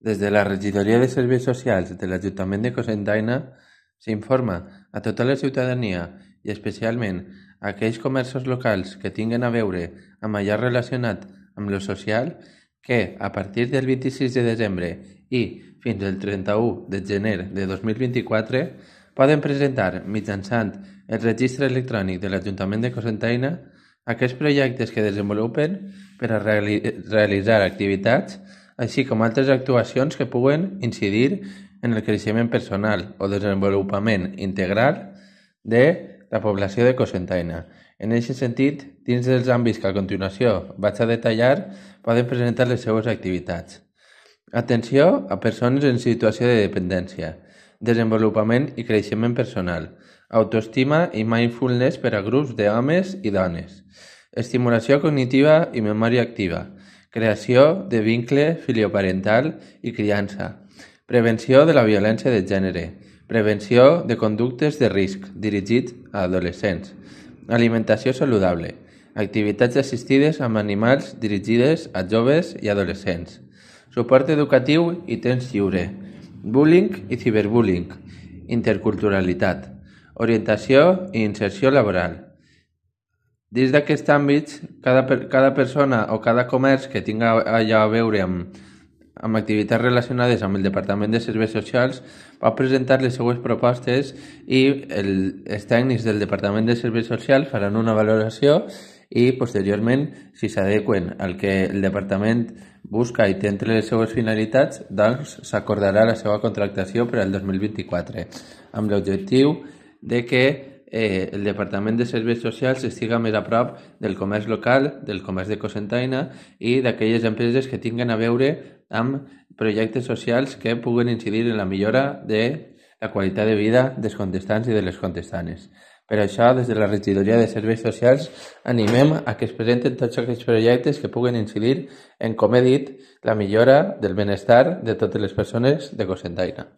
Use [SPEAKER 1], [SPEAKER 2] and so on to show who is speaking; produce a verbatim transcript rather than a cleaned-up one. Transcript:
[SPEAKER 1] Des de la Regidoria de Serveis Socials de l'Ajuntament de Cocentaina s'informa a tota la ciutadania i especialment a aquells comerços locals que tinguen a veure amb allò relacionat amb lo social que a partir del vint-i-sis de desembre i fins al trenta-u de gener de dos mil vint-i-quatre poden presentar mitjançant el registre electrònic de l'Ajuntament de Cocentaina aquests projectes que desenvolupen per a reali realitzar activitats així com altres actuacions que puguen incidir en el creixement personal o desenvolupament integral de la població de Cocentaina. En aquest sentit, dins dels àmbits que a continuació vaig a detallar, poden presentar les seues activitats. Atenció a persones en situació de dependència, desenvolupament i creixement personal, autoestima i mindfulness per a grups d'homes i dones, estimulació cognitiva i memòria activa, creació de vincle filioparental i criança, prevenció de la violència de gènere, prevenció de conductes de risc dirigits a adolescents, alimentació saludable, activitats assistides amb animals dirigides a joves i adolescents, suport educatiu i temps lliure, bullying i ciberbullying, interculturalitat, orientació i inserció laboral. Dins d'aquests àmbits, cada, cada persona o cada comerç que tinga allò a veure amb, amb activitats relacionades amb el Departament de Serveis Socials pot presentar les seues propostes i el, els tècnics del Departament de Serveis Socials faran una valoració i posteriorment, si s'adequen al que el Departament busca i té entre les seues finalitats, doncs s'acordarà la seva contractació per al dos mil vint-i-quatre, amb l'objectiu de que Eh, el Departament de Serveis Socials estiga més a prop del comerç local, del comerç de Cocentaina i d'aquelles empreses que tinguen a veure amb projectes socials que puguen incidir en la millora de la qualitat de vida dels contestants i de les contestanes. Per això, des de la Regidoria de Serveis Socials, animem a que es presenten tots aquests projectes que puguen incidir en, com he dit, la millora del benestar de totes les persones de Cocentaina.